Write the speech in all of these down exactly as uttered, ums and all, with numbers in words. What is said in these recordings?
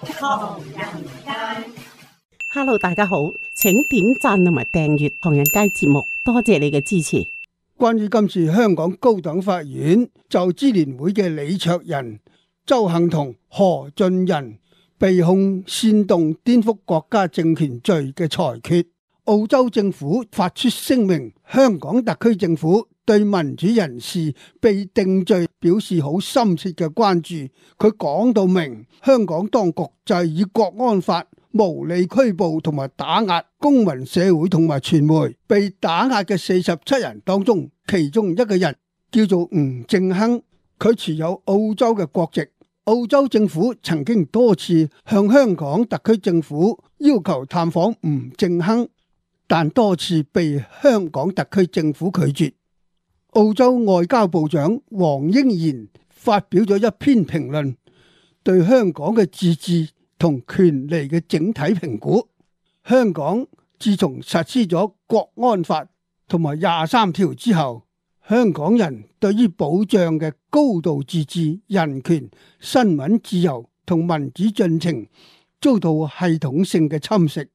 唐人街。Hello， 大家好，請點讚同埋訂閱唐人街節目，多謝你嘅支持。關於今次香港高等法院就支聯會嘅李卓人、鄒幸彤、何俊仁被控煽動顛覆國家政權罪嘅裁決，澳洲政府發出聲明，香港特區政府對民主人士被定罪表示好深切嘅關注。佢講到明，香港當局就係以國安法無理拘捕同埋打壓公民社會同埋傳媒。被打壓嘅四十七人當中，其中一個人叫做吳正亨，佢持有澳洲嘅國籍。澳洲政府曾經多次向香港特區政府要求探訪吳正亨，但多次被香港特區政府拒絕。澳洲外交部長黃英賢發表咗一篇評論，對香港嘅自治同權利嘅整體評估。香港自從實施咗國安法同埋廿三條之後，香港人對於保障嘅高度自治、人權、新聞自由同民主進程遭到系統性嘅侵蝕。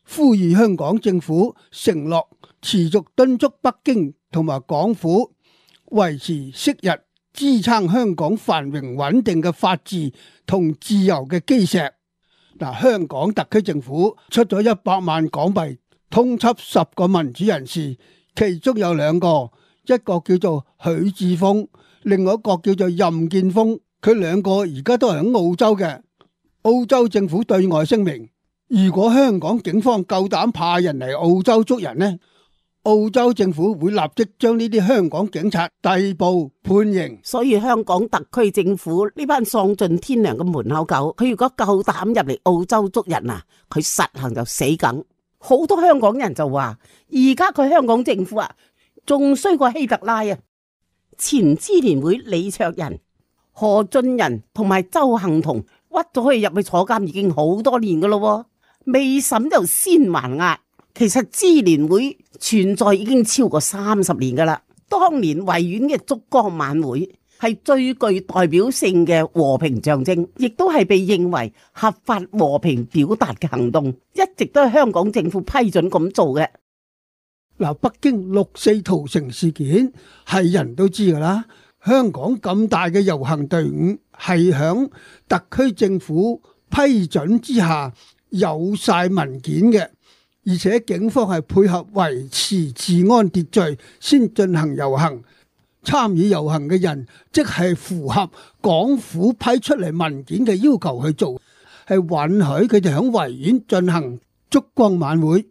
呼籲香港政府承諾持續敦促北京同埋港府維持昔日支撐香港繁榮穩定嘅法治同自由嘅基石。嗱，香港特區政府出咗一百萬港幣通緝十個民主人士，其中有兩個，一個叫做許智峰，另外一個叫做任建峰。佢兩個而家都係喺澳洲嘅。澳洲政府對外聲明，如果香港警方夠膽派人嚟澳洲捉人呢，澳洲政府會立即將呢啲香港警察逮捕判刑。所以香港特區政府呢班喪盡天良嘅門口狗，佢如果夠膽入嚟澳洲捉人啊，佢實行就死梗。好多香港人就話，而家佢香港政府啊，仲衰過希特拉啊！前支聯會李卓人、何俊仁同埋鄒幸彤屈咗佢入去坐監已經好多年噶咯，未審就先還押。其實支聯會存在已經超過三十年噶啦。當年維園嘅燭光晚會係最具代表性嘅和平象徵，亦都係被認為合法和平表達嘅行動，一直都係香港政府批准咁做嘅。嗱，北京六四屠城事件係人都知噶啦，香港咁大嘅遊行隊伍係響特區政府批准之下有晒文件嘅。而且警方係配合維持治安秩序先進行遊行，參與遊行嘅人即係符合港府批出嚟文件嘅要求去做，係允許佢哋喺維園進行燭光晚會。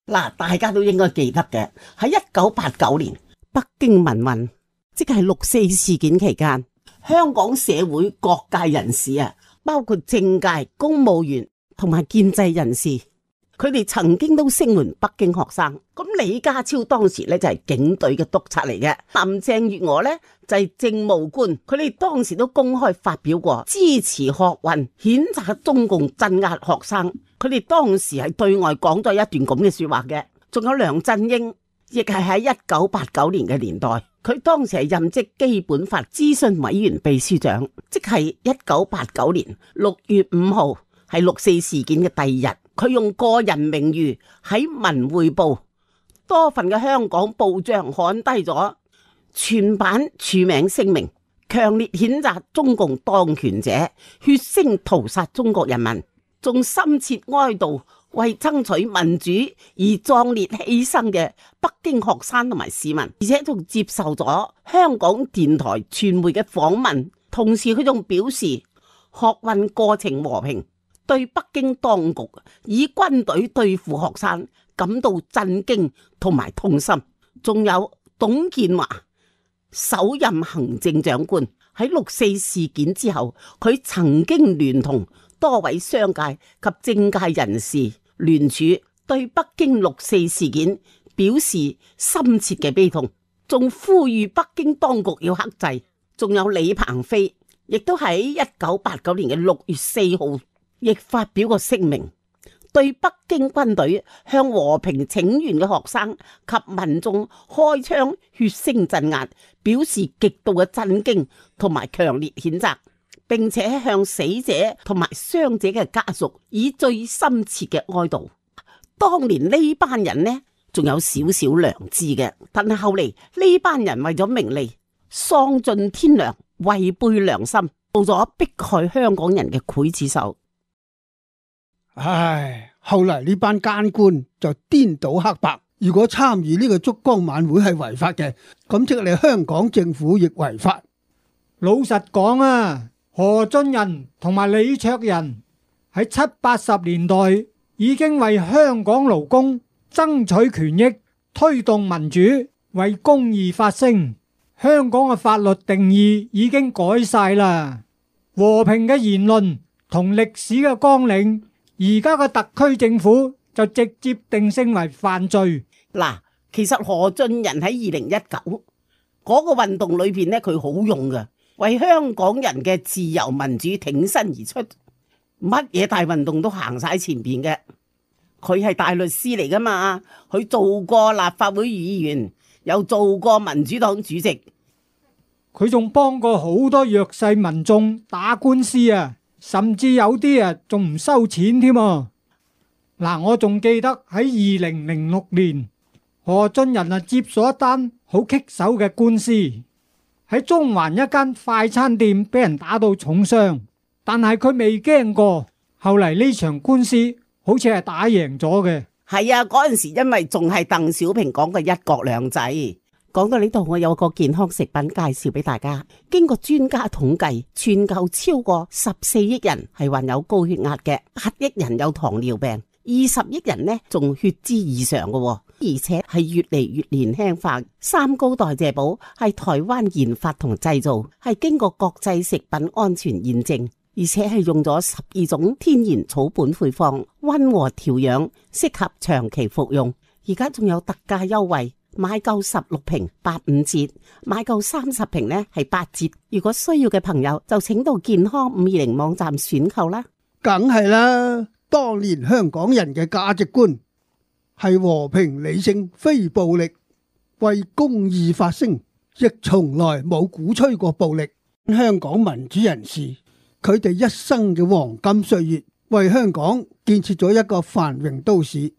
嗱，大家都應該記得嘅，喺一九八九年北京民運，即係六四事件期間，香港社會各界人士啊，包括政界、公務員同埋建制人士，佢哋曾經都聲援北京學生。咁李家超當時咧就係警隊嘅督察嚟嘅，林鄭月娥咧就係政務官，佢哋當時都公開發表過支持學運，譴責中共鎮壓學生。佢哋當時係對外講咗一段咁嘅說話嘅。仲有梁振英，亦係喺一九八九年嘅年代，佢當時係任職基本法諮詢委員秘書長，即係一九八九年六月五號係六四事件嘅第二日。佢用個人名譽喺《文匯報》多份嘅香港報章刊低咗全版署名聲明，強烈譴責中共當權者血腥屠殺中國人民，仲深切哀悼為爭取民主而壯烈犧牲嘅北京學生同埋市民，而且仲接受咗香港電台傳媒嘅訪問。同時佢仲表示學運過程和平，對北京當局以軍隊對付學生感到震驚同埋痛心。仲有董建華首任行政長官喺六四事件之後，佢曾經聯同多位商界及政界人士聯署，對北京六四事件表示深切嘅悲痛，仲呼籲北京當局要克制。仲有李鵬飛，亦都喺一九八九年嘅六月四號。亦發表過聲明，對北京軍隊向和平請願嘅學生及民眾開槍血腥鎮壓表示極度嘅震驚同埋強烈譴責，並且向死者同埋傷者嘅家屬以最深切嘅哀悼。當年呢班人呢仲有少少良知嘅，但係後嚟呢班人為咗名利，喪盡天良，違背良心，做咗迫害香港人嘅劊子手。唉，後嚟呢班奸官就顛倒黑白，如果參與呢個燭光晚會係違法嘅，咁即係你香港政府亦違法。老實講啊，何俊仁同埋李卓人喺七八十年代已經為香港勞工爭取權益，推動民主，為公義發聲。香港嘅法律定義已經改晒啦，和平嘅言論同歷史嘅綱領，而家嘅特區政府就直接定性為犯罪。嗱，其實何俊仁喺二零一九嗰個運動裏邊呢，佢好勇嘅，為香港人嘅自由民主挺身而出，乜嘢大運動都行晒前邊嘅。佢係大律師嚟噶嘛，佢做過立法會議員，又做過民主黨主席，佢仲幫過好多弱勢民眾打官司啊，甚至有啲啊仲唔收錢添啊！嗱，我仲記得喺二零零六年，何俊仁啊接咗一單好棘手嘅官司，喺中環一間快餐店俾人打到重傷，但係佢未驚過，後嚟呢場官司好似係打贏咗嘅。係啊，嗰陣時因為仲係鄧小平講嘅一國兩制。講到呢度，我有個健康食品介紹俾大家。經過專家統計，全球超過十四億人係患有高血壓嘅，八億人有糖尿病，二十億人呢仲血脂異常嘅，而且係越嚟越年輕化。三高代謝寶係台灣研發同製造，係經過國際食品安全驗證，而且係用咗十二種天然草本配方，溫和調養，適合長期服用。而家仲有特價優惠，買夠十六瓶八五折，買夠三十瓶呢係八折。如果需要嘅朋友就請到健康五二零網站選購啦。梗係啦，當年香港人嘅價值觀係和平理性，非暴力，為公義發聲，亦從來冇鼓吹過暴力。香港民主人士，佢哋一生嘅黃金歲月，為香港建設咗一個繁榮都市。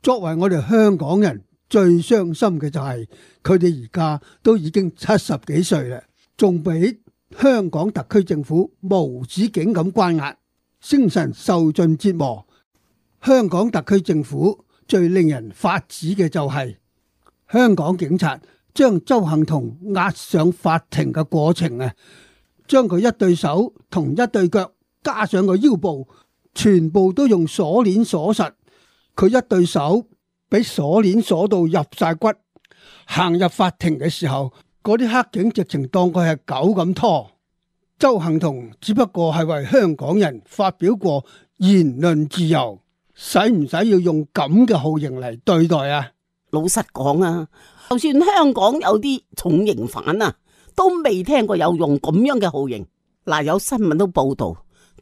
作為我哋香港人，最傷心嘅就係佢哋而家都已經七十幾歲啦，仲俾香港特區政府無止境咁關押，精神受盡折磨。香港特區政府最令人髮指嘅就係香港警察將鄒幸彤押上法庭嘅過程啊，將佢一對手同一對腳加上個腰部，全部都用鎖鏈鎖實。佢一對手俾鎖鏈鎖到入晒骨，行入法庭嘅時候，嗰啲黑警直情當佢係狗咁拖。鄒幸彤只不過係為香港人發表過言論自由，使唔使要用咁嘅酷刑嚟對待啊？老實講啊，就算香港有啲重刑犯啊，都未聽過有用咁樣嘅酷刑。嗱，有新聞都報道，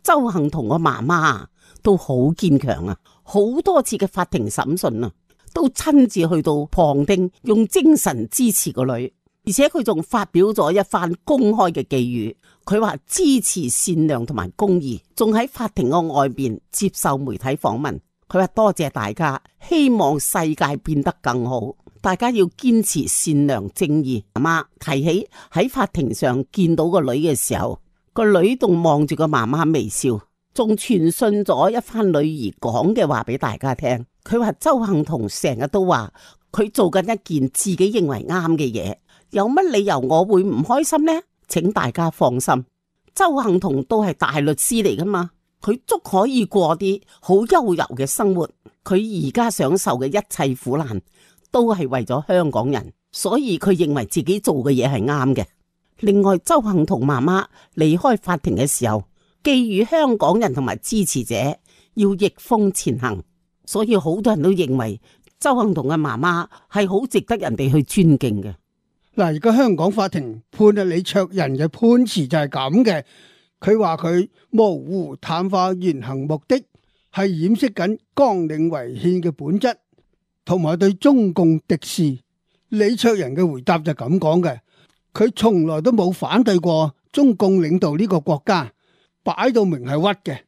鄒幸彤個媽媽都好堅強啊，好多次嘅法庭審訊啊，都親自去到旁聽，用精神支持個女，而且佢仲發表咗一番公開嘅寄語，佢話支持善良同埋公義，仲喺法庭嘅外邊接受媒體訪問。佢話多謝大家，希望世界變得更好，大家要堅持善良正義。媽媽提起喺法庭上見到個女嘅時候，個女仲望住個媽媽微笑，仲傳信咗一番女兒講嘅話俾大家聽。佢話鄒幸彤成日都話佢做緊一件自己認為啱嘅嘢，有乜理由我會唔開心呢？請大家放心，鄒幸彤都係大律師嚟噶嘛，佢足可以過啲好悠游嘅生活。佢而家享受嘅一切苦難都係為咗香港人，所以佢認為自己做嘅嘢係啱嘅。另外，鄒幸彤媽媽離開法庭嘅時候，寄語香港人同埋支持者要逆風前行，所以好多人都認為鄒幸彤嘅媽媽係好值得人哋去尊敬嘅。嗱，而家香港法庭判啊李卓人嘅判詞就係咁嘅，佢話佢模糊淡化言行目的，係掩飾緊綱領違憲嘅本質，同埋對中共敵視。李卓人嘅回答就咁講嘅，佢從來都冇反對過中共領導呢個國家，擺到明係屈嘅。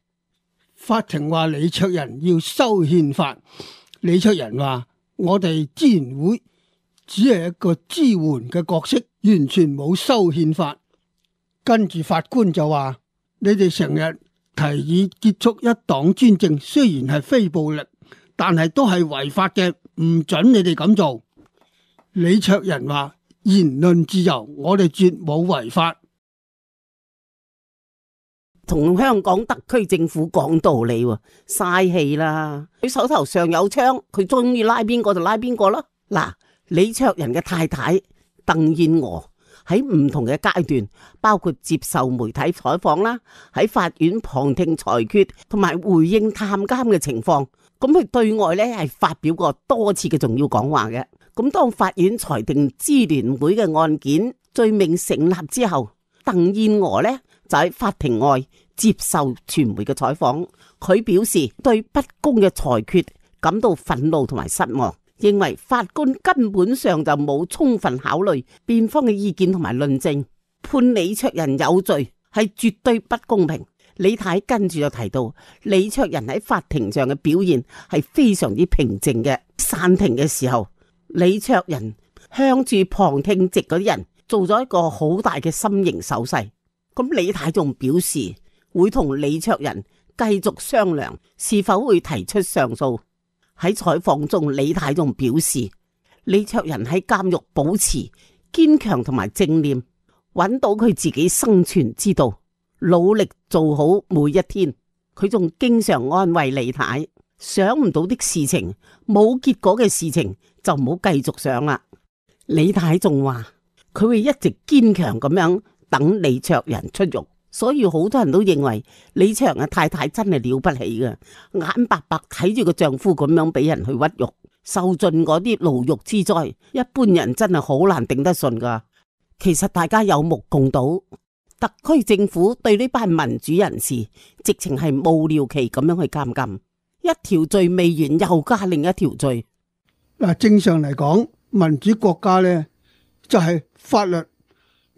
法庭話李卓人要修憲法，李卓人話我哋支聯會只係一個支援嘅角色，完全冇修憲法。跟住法官就話：你哋成日提議結束一黨專政，雖然係非暴力，但係都係違法嘅，唔准你哋咁做。李卓人話：言論自由，我哋絕冇違法。同香港特區政府講道理喎，嘥氣啦！佢手頭上有槍，佢中意拉邊個就拉邊個咯。嗱，李卓人嘅太太鄧燕娥喺唔同嘅階段，包括接受媒體採訪啦，喺法院旁聽裁決同埋回應探監嘅情況，咁佢對外咧係發表過多次嘅重要講話嘅。咁當法院裁定支聯會嘅案件罪名成立之後，鄧燕娥咧就喺法庭外接受傳媒嘅採訪，佢表示對不公嘅裁決感到憤怒同埋失望，認為法官根本上就冇充分考慮辯方嘅意見同埋論證，判李卓人有罪係絕對不公平。李太跟住就提到，李卓人喺法庭上嘅表現係非常之平靜嘅。散庭嘅時候，李卓人向住旁聽席嗰啲人做咗一個好大嘅心形手勢。咁李太仲表示會同李卓人繼續商量是否會提出上訴。喺採訪中，李太仲表示李卓人喺監獄保持堅強同埋正念，揾到佢自己生存之道，努力做好每一天。佢仲經常安慰李太，想唔到的事情，冇結果嘅事情就唔好繼續想啦。李太仲話佢會一直堅強咁樣等李卓人出獄。所以好多人都認為李卓人嘅太太真係了不起嘅，眼白白睇住個丈夫咁樣俾人去屈辱，受盡嗰啲牢獄之災，一般人真係好難頂得順噶。其實大家有目共睹，特區政府對呢班民主人士直情係無了期咁樣去監禁，一條罪未完又加另一條罪。嗱，正常嚟講，民主國家呢就係法律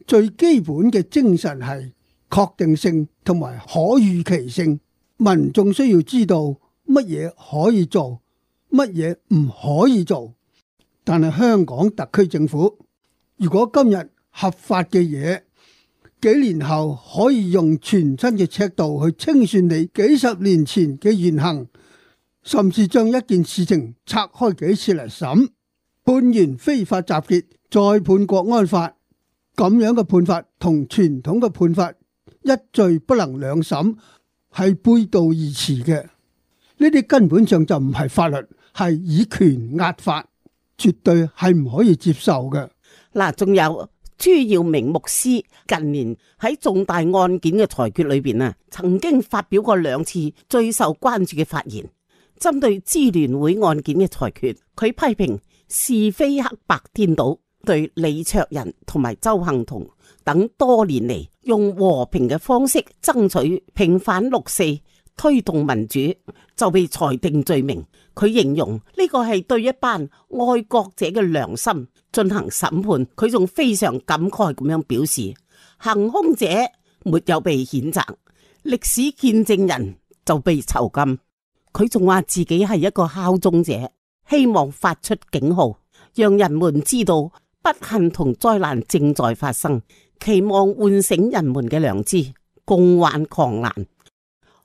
最基本嘅精神係確定性同埋可預期性，民眾需要知道乜嘢可以做，乜嘢唔可以做。但係香港特區政府，如果今日合法嘅嘢，幾年後可以用全新嘅尺度去清算你幾十年前嘅言行，甚至將一件事情拆開幾次嚟審，判完非法集結，再判國安法，咁樣嘅判法同傳統嘅判法一罪不能兩審，係背道而馳嘅。呢啲根本上就唔係法律，係以權壓法，絕對係唔可以接受嘅。嗱，仲有朱耀明牧師近年喺重大案件嘅裁決裏邊啊，曾經發表過兩次最受關注嘅發言，針對支聯會案件嘅裁決，佢批評是非黑白顛倒，對李卓人同埋鄒幸彤等多年嚟用和平嘅方式爭取平反六四、推動民主，就被裁定罪名。佢形容呢個係對一班愛國者嘅良心進行審判。佢仲非常感慨咁樣表示，行兇者沒有被譴責，歷史見證人就被囚禁。佢仲話自己係一個敲鐘者，希望發出警號，讓人們知道不幸同災難正在發生，期望喚醒人們嘅良知，共患狂瀾。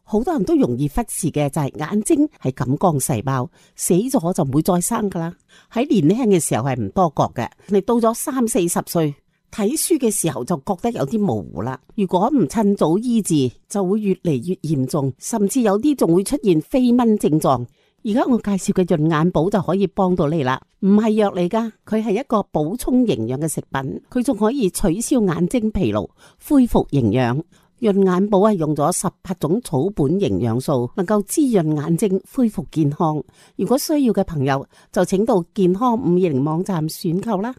好多人都容易忽視嘅就係眼睛係感光細胞，死咗就唔會再生噶啦。喺年輕嘅時候係唔多覺嘅，你到咗三四十歲睇書嘅時候就覺得有啲模糊啦。如果唔趁早醫治，就會越嚟越嚴重，甚至有啲仲會出現飛蚊症狀。而家我介紹嘅潤眼寶就可以幫到你啦，唔係藥嚟噶，佢係一個補充營養嘅食品，佢仲可以取消眼睛疲勞，恢復營養。潤眼寶係用咗十八種草本營養素，能夠滋潤眼睛，恢復健康。如果需要嘅朋友，就請到健康五二零網站選購啦。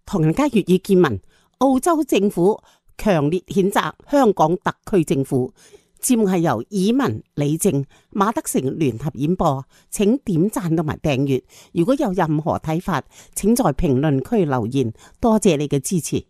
唐人街粵語見聞，澳洲政府強烈譴責香港特區政府。節目係由以文、李靜、馬德成聯合演播，請點讚同埋訂閱。如果有任何睇法，請在評論區留言。多謝你嘅支持。